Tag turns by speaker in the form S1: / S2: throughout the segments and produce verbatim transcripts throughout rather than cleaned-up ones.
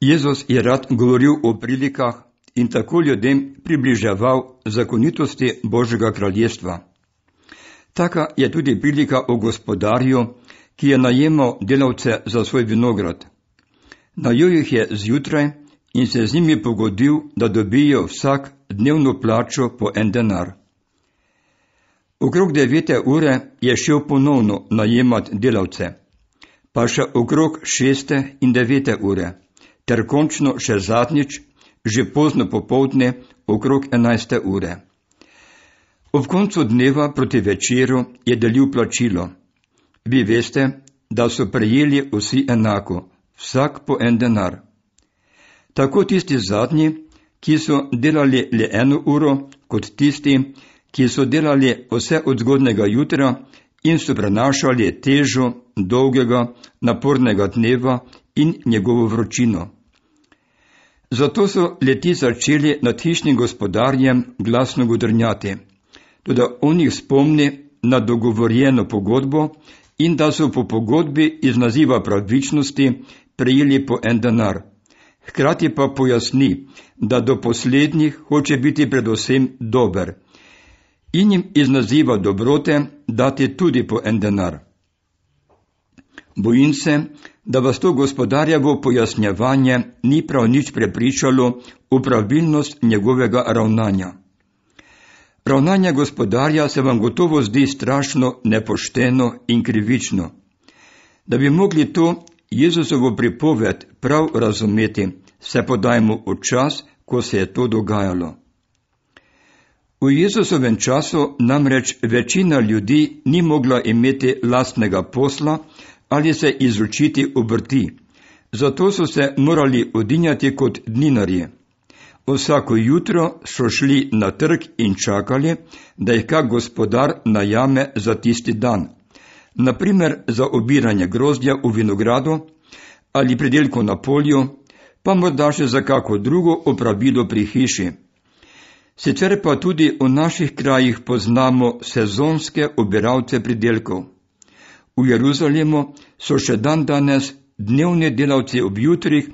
S1: Jezus je rad govoril o prilikah in tako ljudem približeval zakonitosti Božjega kraljestva. Taka je tudi prilika o gospodarju, ki je najemal delavce za svoj vinograd. Najel jih je zjutraj in se z njimi pogodil, da dobijo vsak dnevno plačo po en denar. Okrog devete ure je šel ponovno najemat delavce, pa še okrog šeste in devete ure, ter končno še zadnjič, že pozno popoldne, okrog enajste ure. Ob koncu dneva proti večeru je delil plačilo. Vi veste, da so prejeli vsi enako, vsak po en denar. Tako tisti zadnji, ki so delali le eno uro, kot tisti, ki so delali vse od zgodnega jutra in so prenašali težo dolgega, napornega dneva in njegovo vročino. Zato so leti začeli nad hišnim gospodarjem glasno godrnjati, tudi on jih spomni na dogovorjeno pogodbo in da so po pogodbi iz naziva pravičnosti prejeli po en denar. Hkrati pa pojasni, da do poslednjih hoče biti predvsem dober in jim iz naziva dobrote dati tudi po en denar. Bojim se, da vas to gospodarjevo pojasnjevanje ni prav nič prepričalo v pravilnost njegovega ravnanja. Ravnanje gospodarja se vam gotovo zdi strašno nepošteno in krivično. Da bi mogli to Jezusovo pripoved prav razumeti, se podajmo v čas, ko se je to dogajalo. V Jezusovem času namreč večina ljudi ni mogla imeti lastnega posla ali se izučiti obrti, zato so se morali odinjati kot dninarji. Vsako jutro so šli na trg in čakali, da jih kak gospodar najame za tisti dan, naprimer za obiranje grozdja v vinogradu ali pridelko na polju, pa morda še za kako drugo opravilo pri hiši. Sicer pa tudi v naših krajih poznamo sezonske obiralce pridelkov. V Jeruzalemu so še dan danes dnevni delavci ob jutrih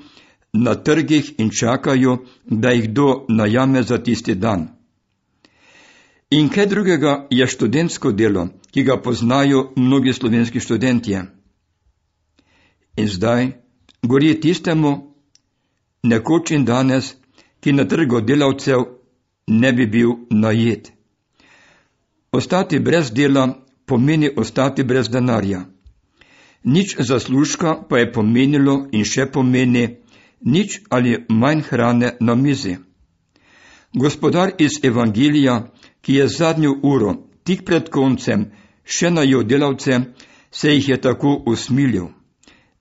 S1: na trgih in čakajo, da jih kdo najame za tisti dan. In kaj drugega je študentsko delo, ki ga poznajo mnogi slovenski študentje. In zdaj gori tistemu, nekoč in danes, ki na trgu delavcev ne bi bil najet. Ostati brez dela pomeni ostati brez denarja. Nič zaslužka pa je pomenilo in še pomeni nič ali manj hrane na mizi. Gospodar iz Evangelija, ki je zadnjo uro, tik pred koncem, še najel delavce, se jih je tako usmilil.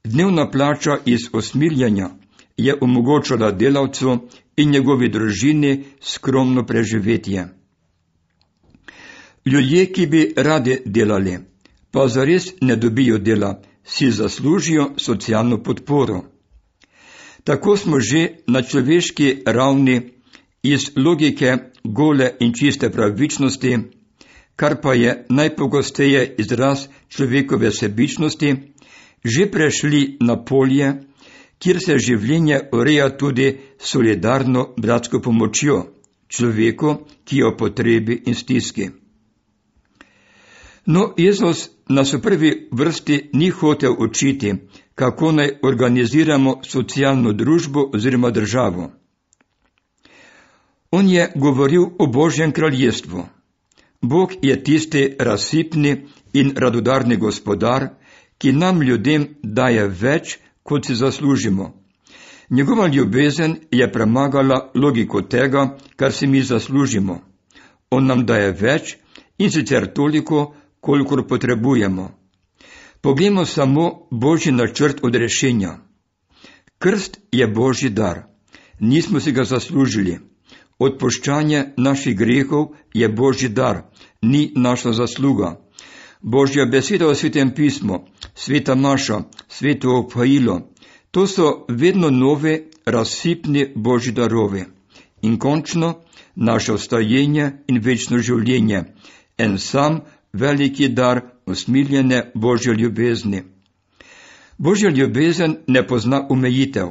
S1: Dnevna plača iz usmiljanja je omogočala delavcu in njegovi družini skromno preživetje. Ljudje, ki bi radi delali, pa zares ne dobijo dela, si zaslužijo socialno podporo. Tako smo že na človeški ravni iz logike gole in čiste pravičnosti, kar pa je najpogosteje izraz človekove sebičnosti, že prešli na polje, kjer se življenje ureja tudi solidarno bratsko pomočjo človeku, ki je v potrebi in stiski. No, Jezus nas v prvi vrsti ni hotel učiti, kako naj organiziramo socialno družbo oziroma državo. On je govoril o Božjem kraljestvu. Bog je tisti razsipni in radodarni gospodar, ki nam ljudem daje več, kot si zaslužimo. Njegova ljubezen je premagala logiko tega, kar si mi zaslužimo. On nam daje več in sicer toliko, kolikor potrebujemo. Poglejmo samo Božji načrt odrešenja. Krst je Božji dar. Nismo si ga zaslužili. Odpuščanje naših grehov je Božji dar, ni naša zasluga. Božja beseda v Svetem pismu, sveta maša, sveto obhajilo, to so vedno nove, razsipni Božji darovi. In končno naše ostajenje in večno življenje, en sam veliki dar usmiljene Božje ljubezni. Božja ljubezen ne pozna omejitev.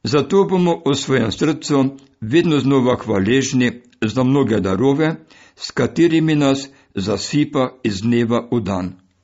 S1: Zato bomo v svojem srcu vedno znova hvaležni za mnoge darove, s katerimi nas zasipa iz dneva v dan.